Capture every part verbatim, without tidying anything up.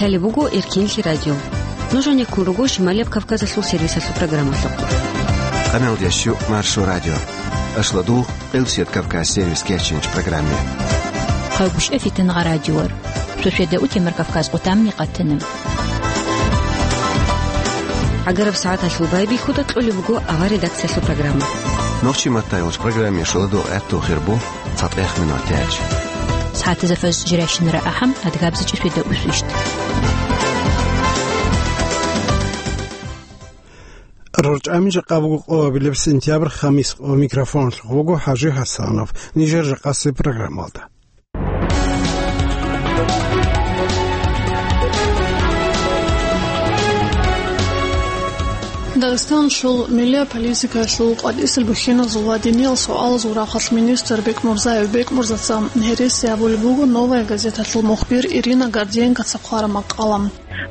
Гьале буго Эркинлъи радио. Нуж гьанеккун руго Шималияб Кавказалъул сервисалъул программалъухъ. Къамел дящу Маршо радио. Ашладул Къилсият Кавказ сервис кечинч программе. Хъагуш эфитан радиор. Суседа утемар Кавказ къутамни къатана. Агараб сагӀаталъул байбихьуда кьолеб буго авар редакциялъул программа. Нохчи маттайолч программе шуладул гӀатту хирбу. ЦатӀех минут яч. СагӀатазда фаз жирайщинара ахӀам, адгабзичӀи светда усвищт. РорчӀами жакъа буго къоабилеб сентябрь хамис къо микрофонлъухъ буго ХӀажи ХӀасанов. Нижер жакъасе программалда. Дагъистаналъул миллияб политикаялъул къватӀисел бухьиназул ва диниял суалазул рахъалъ министр Бекмурзаев Бекмурзаца гьереси абулеб буго «Новая газеталъул» мухбир Ирина Гордиенкоца хъвараб макъала.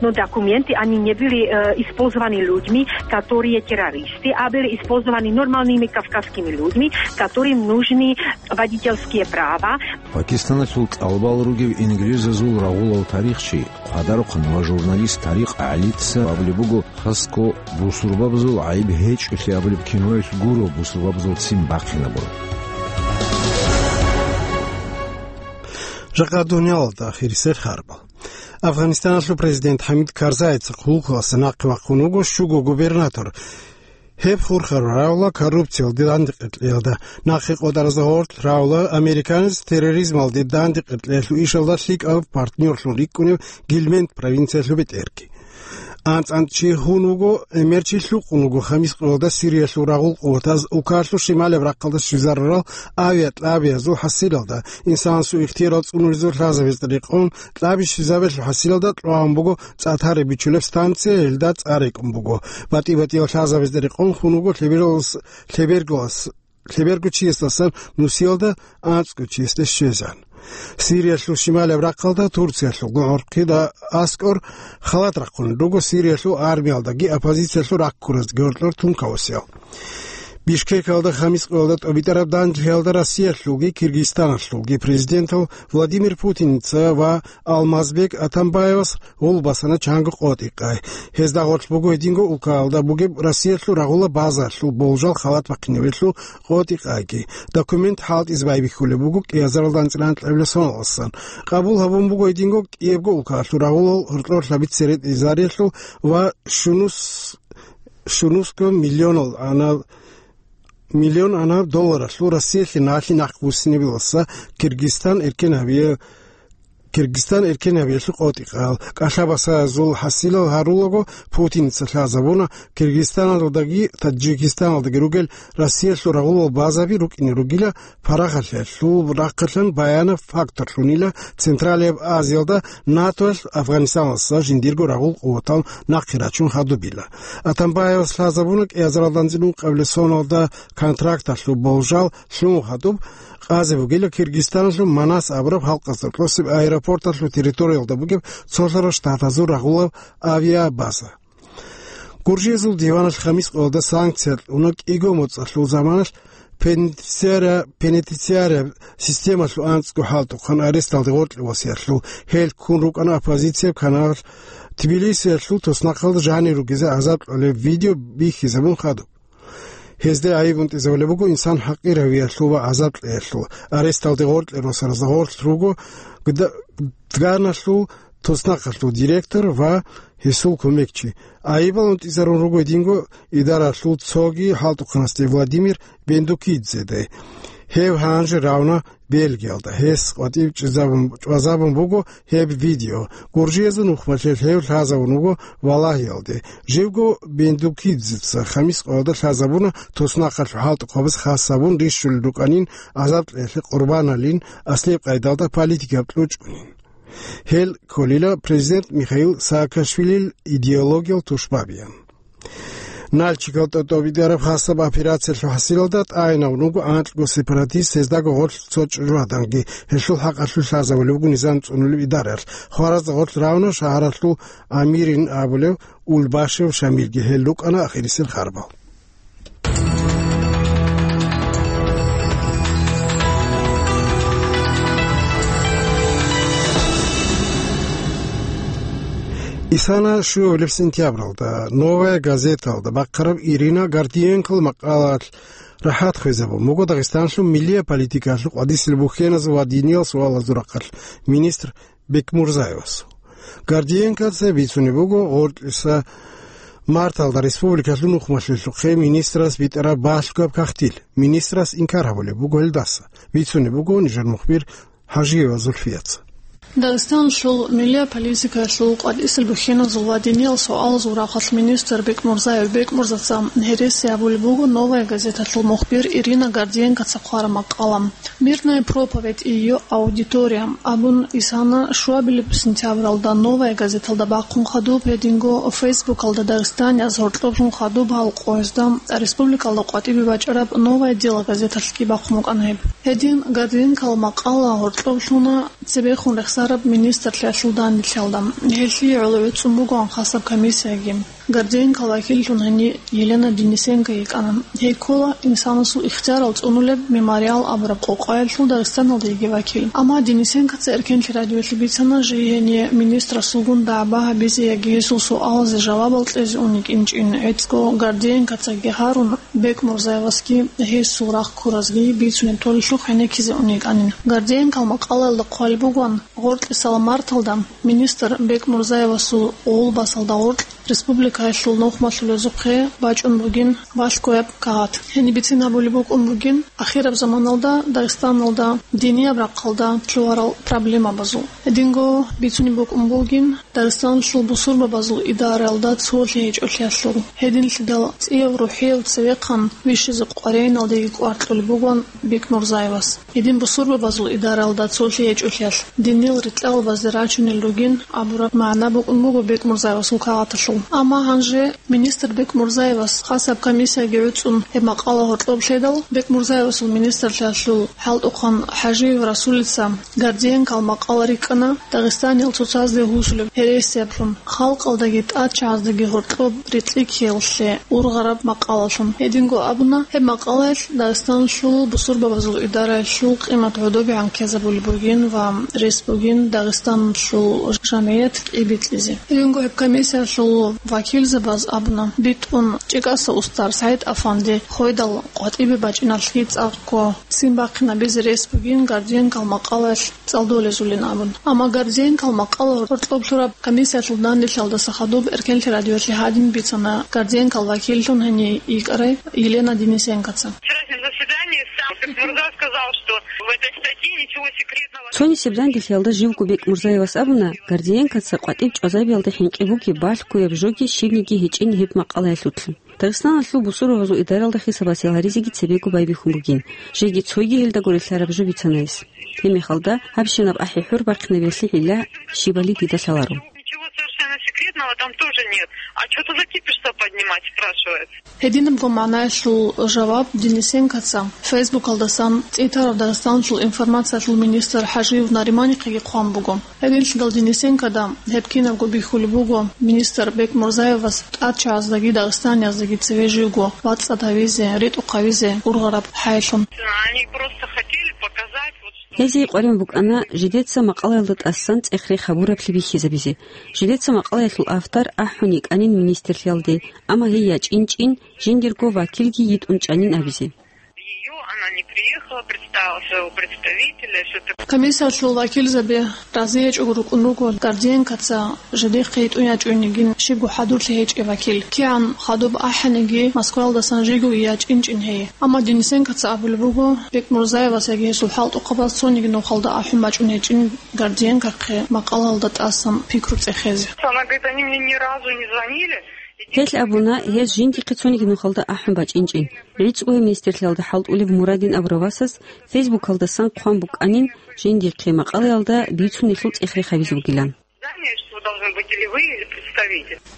Но документы, они не были, э, использованы людьми, которые террористы, а были использованы нормальными кавказскими людьми, которым нужны водительские права. Пакистаналъул тӀалабал ругев ингилизазул рагъулав тарихчи, хъвадарухъан ва журналист Тарикъ ГӀалица абулеб буго, хасго бусурбабазул гӀайиб гьечӀолъи абулеб киноялъ гуро бусурбабазул ццин бахъинабураб. Жакъа дуниялалда ахирисел харбал. Афганистаналъул президент ХӀамид Карзайица хъулухъалъа нахъе вахъун вуго щуго губернатор. Гьеб хурхараб рагӀула коррупциялде дандекъеялда, нахъе къотӀаразда гъорлъ рагӀула американец терроризмалде дандекъеялъул ишалда лъикӀаб партнёрлъун рикӀкӀунев Гильмент провинциялъул бетӀерги. АнцӀ-анцӀ чи гьун вуго, гӀемер чи лъукъун вуго хамис къоялда Сириялъул рагъул къуватаз Укалъул шималаб рахъалда щвезарурал авиакьабиязул хӀасилалда, инсанасул ихтиярал цӀунулезул лъазабизе рекъон кьаби щвезабиялъул хӀасилалда кьван буго цӀатари бичулеб станция, гьелда цӀар рекӀун буго. БатӀи-батӀиял лъазабизе рекъон хун вуго лъебералас-, лъебергалас-, лъеберго чиясдасан нусиялда анцӀго чиясде щвезан. Сириялъул шималаб рахъалда Турциялъул гӀорхъида аскӀор халат рахъун руго Сириялъул армиялдаги оппозициялъул раккураздаги гьоркьор тункавасиял. Бишкекалда хамис къоялда тӀобитӀараб данделъиялда Россиялъулги Киргизстаналъулги президентал Владимир Путинца ва Алмазбек Атамбаевас гъул басана чанго къотӀи-къай. Гьезда гъорлъ буго гьединго улкаялда бугеб Россиялъул рагъула базаялъул болжал халат бахъинабиялъул къотӀи-къайги. Документ хӀалтӀизе байбихьулеб буго кӀиазаралда анцӀила анкьабилеб соналдасан. Къабул гьабун буго гьединго кӀиябго улкаялъул рагъулал гьоркьор лъабицере тӀезариялъул ва щунус-, щунусго миллионал ана-, миллион ана долларалъул Россиялъе налъи нахъбуссинабиласа Киргизстан эркен гьабия-, Киргизстан эркен гьабиялъул къотӀи-къал. КӀалъабасазул хӀасилал гьарулаго Путинца лъазабуна Киргизстаналдаги Таджикистаналдаги ругел Россиялъул рагъулал базаби рукӀине ругила парагъалъиялъул рахъалъан баянаб факторлъунила Централияб Азиялда НАТОялъ Афганистаналдаса жиндирго рагъул къуватал нахъе рачун хадубила. Атамбаевас лъазабуна кӀиазаралда анцӀила ункъабилеб соналда контракталъул болжал лъун хадуб, къазе бугила Киргизстаналъул Манас абураб халкъазда кьосеб аэропорталъул территориялда бугеб цолъарал штатазул рагъулаб авиабаза. Гуржиязул диваналъ хамис къоялда санкция кьуна кӀиго моцӀалъул заманалъ пенитенциария-, пенитенциария системалъул анцӀго хӀалтӀухъан аресталде гъоркье васиялъул. Гьел ккун рукӀана оппозицияб канал Тбилисиялъул туснахъалда жанир ругезе гӀазаб кьолеб видео бихьизабун хадуб. Гьезда гӀайиб унтӀизабулеб буго инсан хӀакъиравиялъул ва гӀазаб кьеялъул. Аресталде гъоркье росаразда гъорлъ руго Гда-, Дганалъул туснахъалъул директор ва гьесул кумекчи. ГӀайибал унтӀизарун руго гьединго идаралъул цоги хӀалтӀухъанасде Владимир Бендукидзеде. Гьев гьанже равна Бельгиялда. Гьес къватӀив чӀезабун, чӀвазабун буго гьеб видео. Гуржиязул нухмалъе гьев лъазабун вуго Валагьиялде. Живго Бендукидзеца хамис къоялда лъазабуна туснахъалъул хӀалтӀухъабаз хас гьабун рищулел рукӀанин, гӀазаб кьеялъе къурбаналин, аслияб къайдалда политикаб кьучӀунин. Гьел кколила президент Михаил Саакашвилил идеологиял тушбабиян. Нальчикалда тӀобитӀараб хасаб операциялъул хӀасилалда тӀагӀинавун вуго анкьго сепаратист, гьездаго гъорлъ цо чӀужугьаданги. Гьелъул хӀакъалъулъ лъазабулеб буго низам цӀунулеб идараялъ. Хваразда гъорлъ равна шагьаралъул амирин абулев Улбашев Шамилги. Гьел рукӀана ахирисел харбал. Исана щуабилеб сентябралда «Новая газеталда» бахъараб Ирина Гордиенкол макъалаялъ рахӀат хвезабун буго Дагъистанлъул миллияб политикаялъул къвадисел бухьеназул ва диниял суалазул рахъалъ министр Бекмурзаевасул. Гордиенкоца бицунеб буго гъоркьиса марталда республикалъул нухмалъулъухъе министрас битӀараб балъгояб кагътил. Министрас инкар гьабулеб буго гьелдаса. Бицунеб буго нижер мухбир Хажиева Зульфияца. Дагъистанлъул миллияб политикаялъул къватӀисел бухьеназул ва диниял суалазул рахъалъ министр Бекмурзаев Бекмурзаца гьереси гьабулеб буго «Новая газеталъул» мухбир Ирина Гордиенкоца хъвараб макъала. «Мирная проповедь и её аудитория» абун, Исана щуабилеб сентябралда «Новая газеталда» бахъун хадуб, гьединго Фейсбукалда дагъистанияз гьоркьоблъун хадуб гьал къоязда республикалда къватӀибе бачӀараб «Новое дело» газеталъги бахъун букӀана гьеб. Гьедин Гордиенкол макъала гьоркьоблъуна цебехун рехсараб министрлъиялъул данделъиялда. Гьелъие гӀоло гӀуцӀун бугоан хасаб комиссияги. Гордиенкол вакиллъун гьенив Елена Денисенко йикӀана. Гьей ккола инсанасул ихтиярал цӀунулеб «Мемориал» абураб къокъаялъул Дагъистаналда йиги вакил. Амма Денисенкоца Эркенлъи радиоялъе бицана, жий гьенив министрасулгун дагӀба гьабизе яги гьесул суалазе жавабал кьезе ун йикӀинчӀин, гӀицӀго Гордиенкоцаги гьарун, Бекмурзаевасги гьесул рахъ ккуразги бицунеб толелъухъ гӀенеккизе ун йикӀанин. Гордиенкол макъалаялда хъвалеб бугоан, гъоркьисал марталда министр Бекмурзаевасул гъулбасалда гъоркь республикаялъул нухмалъулезухъе бачӀун бугин балъгояб кагъат. Гьениб бицин гьабулеб букӀун бугин, ахираб заманалда Дагъистаналда динияб рахъалда лъугьарал проблемабазул. Гьединго бицунеб букӀун бугин Дагъистаналъул бусурбабазул идараялда цолъи гьечӀолъиялъул. Гьединлъидал цӀияв рухӀияв цевехъан вищизе къваригӀиналдеги кӀвар кьолеб бугоан Бекмурзаевас. Гьедин бусурбабазул идараялда цолъи гьечӀолъиялъ, диниял рикьалабазде рачунел ругин абураб магӀна букӀун буго Бекмурзаевасул кагъаталъул. Амма гьанже министр Бекмурзаевас хасаб комиссияги гӀуцӀун гьеб макъала гьоркьоб лъедал, Бекмурзаевасул министрлъиялъул хӀалтӀухъан ХӀажиев Расулица Гордиенкол макъала рикӀкӀана Дагъистаниял цоцазде гьусулеб гьересиялъун, халкъалдаги тӀадчагӀаздаги гьоркьоб рекьи ккеялъе ургъараб макъалалъун. Гьединго абуна, гьеб макъалаялъ Дагъистаналъул бусурбабазул идараялъул къимат гӀодобегӀан ккезабулеб бугин ва рес бугин Дагъистаналъул жамгӀият кӀибитӀизе. Гьединго гьеб комиссиялъул вакилзабаз абуна, битӀун ЧӀикӀаса устар СагӀид-афанди хведал къватӀибе бачӀиналъги цӀакъго ццин бахъинабизе рес бугин Гордиенкол макъалаялъ цӀалдолезулин абун. Амма Гордиенкол макъала гьоркьоб лъураб комиссиялъул данделъиялдаса хадуб Эркенлъи радиоялъе гьадин бицана Гордиенкол вакиллъун гьенив йикӀарай Елена Денисенкоца. Вчерашнем заседании сам Бекмурзаев сказал, что в этой статье ничего секретного. Цонисеб данделъиялда живго Бекмурзаевас абуна, Гордиенкоца къватӀиб чӀвазабиялда хӀинкъи бугеб балъгояб жоги щибниги гьечӀин гьеб макъалаялъулъ. Дагъистаналъул бусурбабазул идаралда хисабасел гьаризеги цебего байбихьун бугин, жеги цойги гьелдаго релълъараб жо бицанайис. Гьебмехалда, гьабщинаб ахӀи-хӀур бахъинабиялъе гӀилла щибали дида лъаларо. Ничего совершенно секретного там тоже нет. А чё ты за кипиш-то поднимать, спрашивается? Гьединабго магӀнаялъул жаваб Денисенкоца Фейсбукалдасан цӀитарав Дагъистаналъул информациялъул министр ХӀажиев Нариманихъеги хъван буго. Гьединлъидал Денисенкода гьеб кинабго бихьулеб буго, министр Бекмурзаевас тӀадчагӀаздаги дагъистанияздаги цеве живго вацӀцӀад гьавизе, ритӀухъ гьавизе ургъараб хӀайлъун. Они просто хотели показать, вот, что Гьезие къваригӀун букӀана жидеца макъалаялда тӀасан цӀех-рех гьабураблъи бихьизабизе. Жидеца макъалаялъул автор ахӀун йикӀанин министрлъиялде, амма гьей ячӀинчӀин, жиндирго вакилги йитӀун чӀанин абизе. Её, она не приехала, представила своего представителя, всё такое. Комиссиялъул вакилзаби разиячӀого рукӀун руго Гордиенкоца жидехъе йитӀун ячӀунигин щибго хӀадурлъи гьечӀеб вакил. КигӀан хадуб ахӀаниги, Москваялдасан жиго ячӀинчӀин гьей. Амма Денисенкоца абулеб буго, Бекмурзаевас яги гьесул хӀалтӀухъабаз цониги нухалда ахӀун бачӀун гьечӀин Гордиенкохъе макъалаялда тӀасан пикру цӀехезе. Она говорит, они мне ни разу не звонили. Гьел абуна, гьез жиндихъе цониги нухалда ахӀун бачӀинчӀин. ГӀицӀго гьев министрлъиялда хӀалтӀулев Мурадин абурав васас Фейсбукалдасан хъван букӀанин, жиндихъе макъалаялда бицунелъул цӀех-рех гьабизе бугилан. Здание, что вы должны быть или вы, или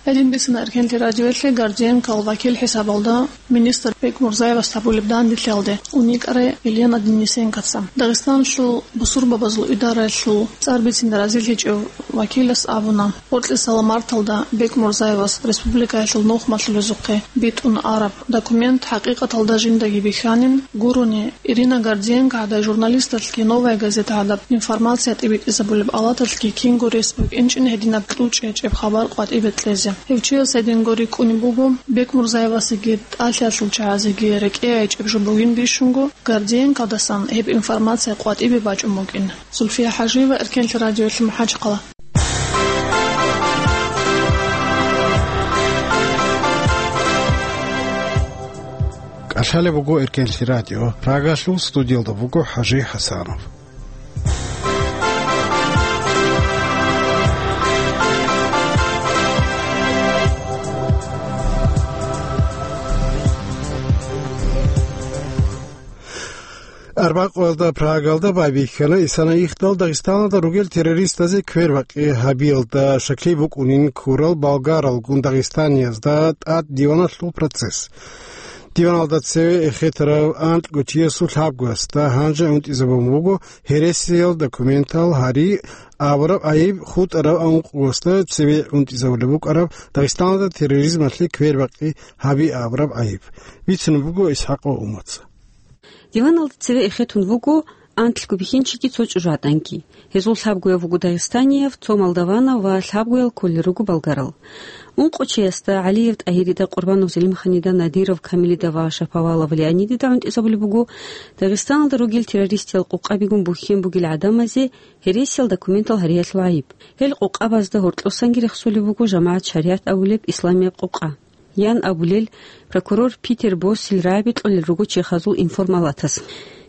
Гьедин бицана Эркенлъи радиоялъе Гордиенкол вакил хӀисабалда министр Бекмурзаевас гьабулеб данделъиялде уникӀарай Елена Денисенкоца. Дагъистаналъул бусурбабазул идараялъул цӀар бицине разилъичӀев вакилас абуна, гьоркьисала марталда Бекмурзаевас республикаялъул нухмалъулезухъе битӀун араб документ хӀакъикъаталда жиндаги бихьанин гурони, Ирина Гордиенко гӀадай журналисталъги «Новая газета» гӀадаб информация тӀибитӀизабулеб алаталъги кинго рес букӀинчӀин гьединаб кьучӀ гьечӀеб хабар къватӀибе кьезе. Гьев чияс гьединго рикӀкӀунеб буго, Бекмурзаевасеги тӀалъиялъул чагӀазеги рекӀее гьечӀеб жо бугин бищунго, Гордиенкодасан гьеб информация къватӀибе бачӀун букӀин. Зульфия ХӀажиева, Эркенлъи радиоялъе, МахӀачхъала. КӀалъалеб буго Эркенлъи радио. Прагалъул студиялда буго ХӀажи ХӀасанов. Арбакъоялда Прагалда байбихьана исана ихдал Дагъистаналда ругел террористазе квербакъи гьабиялда щаклъи букӀунин ккурал болгаралгун дагъистаниязда тӀад диваналъул процесс. Диваналда цеве эхетарав анкьго чиясул лъабгоясда гьанже унтӀизабун буго гьересиял документал гьари абураб гӀайиб, хутӀарав анкьгоясда цеве унтӀизабулеб букӀараб Дагъистаналда терроризмалъе квербакъи гьаби абураб гӀайиб. Бицунеб буго ИсхӀакъов Умаца. Диваналда цеве эхетун вуго анкьго бихьинчиги цо чӀужугӀаданги. Гьезул лъабгояв вуго дагъистанияв, цо молдаванав ва лъабгоял кколел руго болгарал. Ункъо чиясда, ГӀалиев ТӀагьирида, Къурбанов Зелимханида, Надиров Камилида ва Шаповалов Леонидида гӀунтӀизабулеб буго Дагъистаналда ругел террористиял къокъабигун бухьен бугел гӀадамазе гьересиял документал гьариялъул гӀайиб. Гьел къокъабазда гьоркьосанги рехсолеб буго жамагӀат шаригӀат абулеб исламияб къокъа. Ян абулел, прокурор Питер Боссил рагӀаби кьолел руго чехазул информалатас.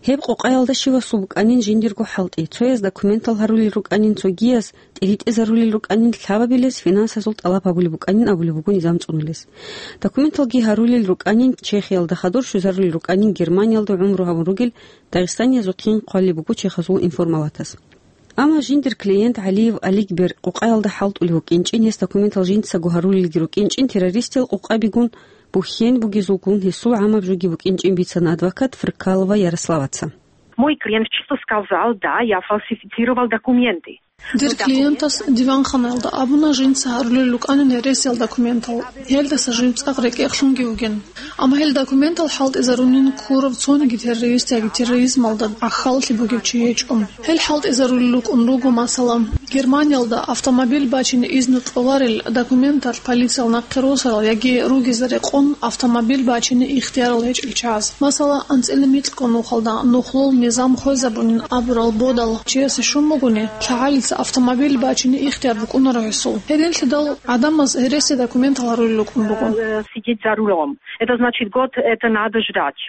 Гьеб къокъаялда щивасул букӀанин жиндирго хӀалтӀи, цояз документал гьарулел рукӀанин, цогияз тӀиритӀизарулел рукӀанин, лъабабилес финансазул тӀалаб гьабулеб букӀанин абулеб буго низам цӀунулес. Документалги гьарулел рукӀанин, Чехиялда хадур щвезарулел рукӀанин, Германиялда гӀумру гьабун ругел дагъистаниязухъин хъвалеб буго чехазул информалатас. Амма жиндир клиент ГӀалиев Аликбер къокъаялда хӀалтӀулев вукӀинчӀин, гьес документал жинцаго гьарулелги рукӀинчӀин, террористиял къокъабигун бухьен бугезулгун гьесул гӀамаб жоги букӀинчӀин бицана адвокат Фркалова Ярославаца. Мой клиент чисто сказал: «Да, я фальсифицировал документы». Дир клиентас диванханаялда абуна, жинца гьарулел рукӀанин гьересиял документал, гьелдаса жив цӀакъ рекӀекълъунги вугин. Амма гьел документал хӀалтӀизарунин ккурав цониги террорист яги терроризмалда гӀахьаллъи бугев чи гьечӀо. Гьел хӀалтӀизарулел рукӀун руго, масала, Германиялда автомобиль бачине изну кьоларел документалъ полициял нахъе росарал яги ругезда рекъон автомобиль бачине ихтиярал гьечӀел чагӀаз. Масала, анцӀила микьго нухалда нухлул низам хвезабунин абурал бодал чиясе щун бугони, лъагӀалица автомобиль бачине ихтияр букӀунаро гьесул. Гьединлъидал гӀадамаз гьереси документал гьарулел рукӀун буго. Э, сидеть за рулем. Это значит, год это надо ждать.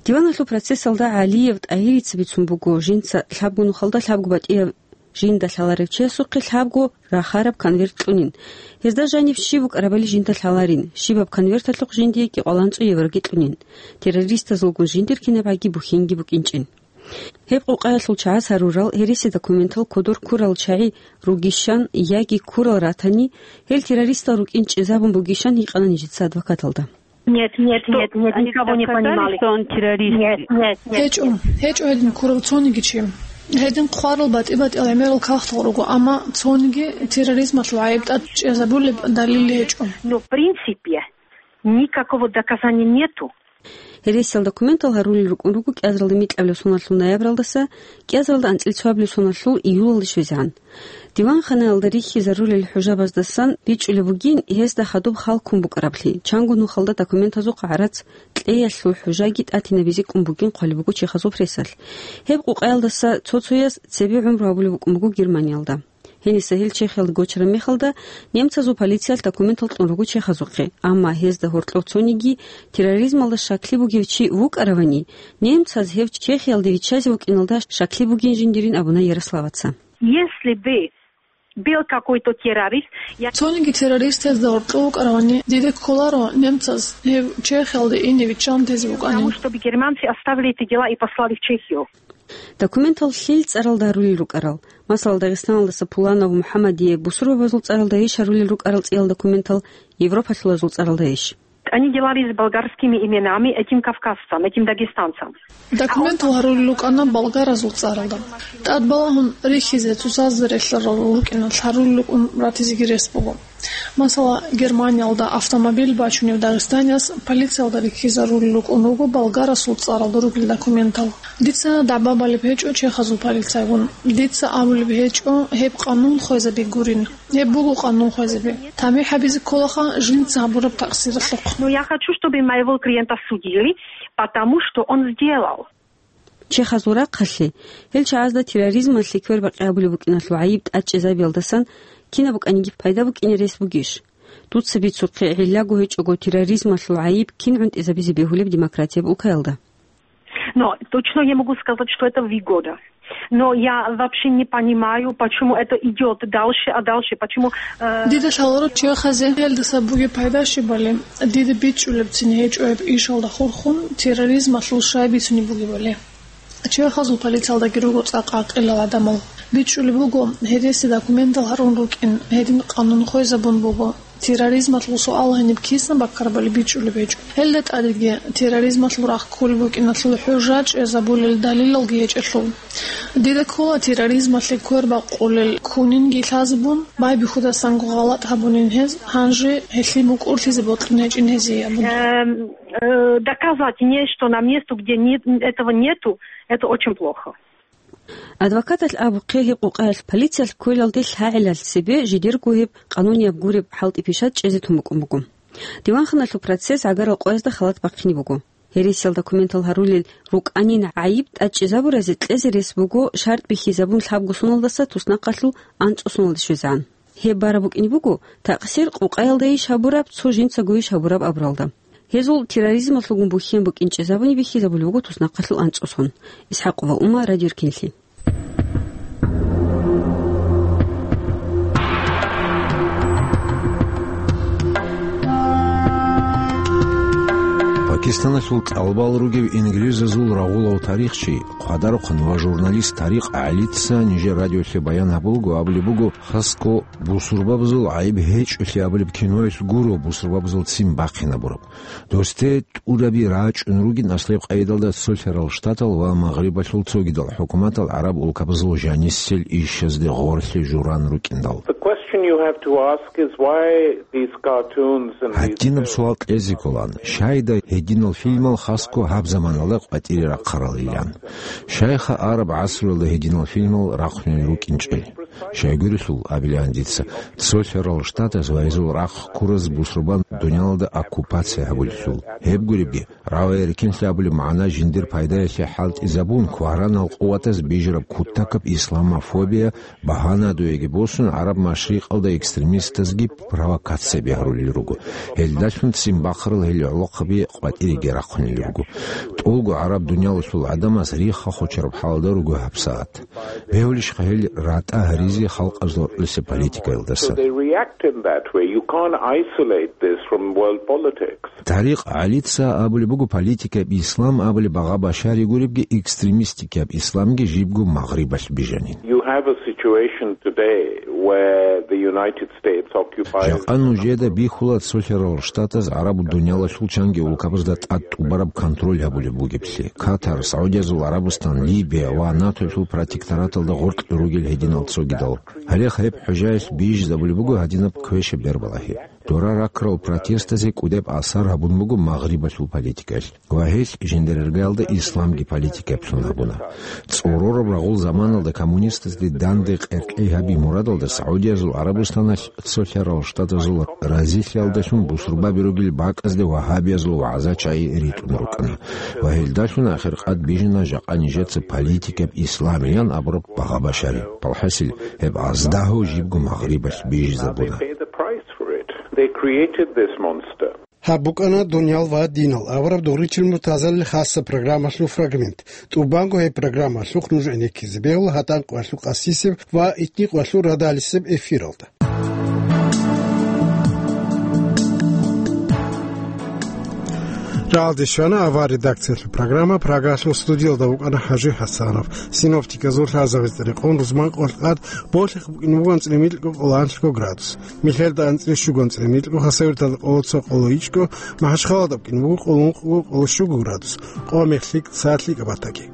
Диваналъул процессалда ГӀалиев ТӀагьирица бицун буго, жинца лъабго нухалда лъабго батӀияб жинда лъаларев чиясухъе лъабго рахараб конверт кьунин. Гьезда жаниб щиб букӀарабали жинда лъаларин, щибаб конверталъухъ жиндие кӀикъоялда анцӀго евроги кьунин. Террористазулгун жиндир кинабгӀаги бухьинги букӀинчӀин. Гьеб къокъаялъул чагӀаз гьарурал гьереси документал кодор ккурал чагӀи ругищан яги ккурал ратани, гьел террористал рукӀин чӀезабун бугищан гьикъана нижеца адвокаталда. Нет, нет, нет, нет, никого не понимали. Нет, нет, нет. ГьечӀо, гьечӀо гьедин ккурав цониги чи. Гьедин хъварал батӀи-батӀиял гӀемерал кагътал руго, амма цониги терроризмалъул гӀайиб тӀад чӀезабулеб далилги гьечӀо. Но в принципе никакого доказания нету. Гьересиялда документал гьарулел рукӀун руго кӀиазаралда микьабилеб соналъул ноябралдаса кӀиазаралда анцӀила цоабилеб соналъул июлалде щвезегӀан. Диванханаялда рихьизарулел хӀужабаздасан бичӀчӀулеб бугин гьезда хадуб хал ккун букӀараблъи, чанго нухалда документазухъ гӀарац кьеялъул хӀужаги тӀатинабизе кӀун бугин хъвалеб буго чехазул прессалъ. Гьеб къокъаялдаса цо-цояз цебе гӀумру гьабулеб букӀун буго Германиялда. Гьениса гьел Чехиялда гочараб мехалда, немцазул полициялъ документал кьун руго чехазухъе, амма гьезда гьоркьов цониги терроризмалда щаклъи бугев чи вукӀаравани, немцаз гьев Чехиялде виччазе вукӀиналда щаклъи бугин жиндирин абуна Ярославаца. Если бы был какой-то террорист, я... Цониги террорист гьезда гьоркьов вукӀаравани, дида кколаро немцаз гьев Чехиялде ине виччан тезе вукӀанин. Потому что бы германцы оставили эти дела и послали в Чехию. Документал лъил цӀаралда гьарулел рукӀарал? Масала, Дагъистаналдаса Пуланов МухӀаммадие бусурбабазул цӀаралдайищ гьарулел рукӀарал цӀиял документал, Европалъулазул цӀаралдайищ? Они делали с болгарскими именами этим кавказцам, этим дагестанцам. Документал гьарулел рукӀана болгаразул цӀаралда. ТӀадбалагьун рихьизе цоцазда релълъарал рукӀиналъ гьарулел рукӀун ратизеги рес буго. Масала, Германиялда автомобиль бачунев дагъистанияс полициялда рихьизарулел рукӀун руго болгарасул цӀаралда ругел документал. Дица дагӀба балеб гьечӀо чехазул полицайгун. Дица абулеб гьечӀо гьеб къанун хвезаби гурин. Гьеб буго къанун хвезаби. ТамихӀ гьабизе кколаха жинца гьабураб такъсиралъухъ. Но я хочу, чтобы моего клиента судили, потому что он сделал. Чехазул рахъалъе, гьел чагӀазда терроризмалъе квербакъи абулеб букӀиналъул гӀайиб тӀадчӀезабиялдасан кинаб букӀаниги пайда букӀине рес бугищ? Дуца бицухъе, гӀиллаго гьечӀого терроризмалъул гӀайиб кин гӀунтӀизабизе бегьулеб демократияб улкаялда? Но точно не могу сказать, что это выгода. Но я вообще не понимаю, почему это идёт дальше, а дальше, почему, э, Дида лъаларо чехазе гьелдаса бугеб пайда щибали, дида бичӀчӀулебцин гьечӀо гьеб ишалда хурхун терроризмалъул щай бицунеб бугебали. Чехазул полициялдаги руго цӀакъ гӀакъилал гӀадамал. БичӀчӀулеб буго, гьереси документал гьарун рукӀин, гьедин къанун хвезабун буго. Терроризмалъул суал гьениб кисан баккарабали бичӀчӀулеб гьечӀо. Гьелда тӀадеги терроризмалъул рахъ кколеб букӀиналъул хӀужа чӀезабулел далилалги гьечӀелъул. Дида ккола терроризмалъе квер бакъулел кунинги лъазабун, байбихьудасанго гъалатӀ гьабунин гьез, гьанже гьелъие мукӀурлъизе бокьун гьечӀин гьезие абун. Эм, э, доказать нечто на место, где нет, этого нету, это очень плохо. Адвокаталъ абухъе, гьеб къукъаялъ полициялъ кколалде лъагӀелалъ цебе жидерго гьеб къанунияб гуреб хӀалтӀи-пишат чӀезе тун букӀун буго. Диванханалъул процесс гӀагарал къоязда халат бахъине буго. Гьересиялда документал гьарулел рукӀанин гӀайиб тӀадчӀезабуразе кьезе рес буго шартӀ бихьизабун лъабго соналдаса туснахъалъул анцӀго соналде щвезегӀан. Гьеб бараб букӀине буго, такъсир къукъаялдайищ гьабураб, цо жинцагойищ гьабураб абуралда. Гьезул терроризмалъулгун бухьен букӀин чӀезабуни бихьизабулеб буго туснахъалъул анцӀго сон. ИсхӀакъова Ума, Радио Ркинлъи. Пакистаналъул кӀалбал ругев инглизазул рагъулав тарихчи, хъвадарухъан ва журналист Тарикъ ГӀалица нижер радиолъе баян гьабулго, абулеб буго, хасго бусурбабазул гӀайиб гьечӀолъи абулеб киноялъ гуро бусурбабазул ццин бахъинабураб. Досде тӀураби рачӀун ругин аслеб къайдалда цолъарал штатал ва Магърибалъул цогидал хӀукуматал гӀараб улкабазул жанисел ишазде гъорлъе журан рукӀиндал. The question you have to ask is why these cartoons and these Гьадинаб суал кьезе кколан, щайда гьединал фильмал хасго гьаб заманалда къватӀире рахъаралилан? Щайха араб гӀасруялда гьединал фильмал рахъунел рукӀинчӀел? Щайгурелъул, абилан дица, цолъарал штатаз ва гьезул рахъ ккураз бусурбан дуниялалда оккупация гьабулелъул. Гьеб гуребги, рагӀи-рикинлъи абулеб магӀна жиндир пайдаялъе хӀалтӀизабун, кваранал къуватаз бижараб кутакаб исламофобия багьанадуеги босун, ГӀараб Машрикъалда экстремистазги провокацияби гьарулел руго. Гьелдалъун ццин бахъарал гьел гӀолохъаби къватӀиреги рахъунел руго. ТӀолго гӀараб дуниялалъул гӀадамаз рихха хочараб хӀалда руго гьабсагӀат. Бегьулищха гьел ратӀа гьаризе халкъазул гьоркьоса политикаялдаса? So they react in that way. You can't isolate this from world politics. Тарикъ ГӀалица абулеб буго, политикаб ислам абулеб багъа башари гуребги, экстремистикаб исламги жибго Магърибалъ бижанин. You have a situation today where the United States occupies Жакъа нужеда бихьула цолъарал штатаз гӀараб дуниялалъул чанги улкабазда тӀад тӀубараб контроль гьабулеб бугеблъи. Катар, Саудиязул ГӀарабустан, Либия ва НАТОялъул протектораталда гъоркь ругел гьединал цогидал. Гьале гьеб хӀужаялъ бижизабулеб буго гьадинаб квешаб бербалагьи. Дора ракрал протестазе кӀудеб асар гьабун буго Магърибалъул политикаялъ. Ва гьелъ жиндирергаялда исламги политикаблъун гьабуна. ЦӀорораб рагъул заманалда коммунистазде данде къеркьей гьаби мурадалда Саудиязул ГӀарабустаналъ цолъарал штатазул разилъиялдалъун бусурбаби ругел бакӀазде вагьабиязул вагӀза-чагӀи ритӀун рукӀана. Ва гьелдалъун ахиркъад бижана жакъа нижеца политикаб исламиян абураб багъа башари. Балхасил, гьеб аздагьав жибго Магърибалъ бижизабуна. They pay the price for it. They created this monster. Гьаб букӀана «Дуниял ва динал» авараг Доричил Муртазалил хасаб программалъул фрагмент. ТӀубанго гьеб программалъухъ нуж гӀенеккизе бегьула гьатӀан къвалъу къасисеб ва итни къвалъу радалисеб эфиралда. Жалде щвана авар редакциялъул программа, Прагалъул студиялда вукӀана ХӀажи ХӀасанов. Синоптиказул лъазабизе рекъон рузман къолъкъад болъихъ букӀине буго анцӀила микьго къоло анлъго градус. Михьелда анцӀила щуго анцӀила микьго, Хасавюрталда къоло цо къоло ичӀго, МахӀачхъалада букӀине буго къоло ункъго къоло щуго градус, къо мехлъи цалъи кабатаги.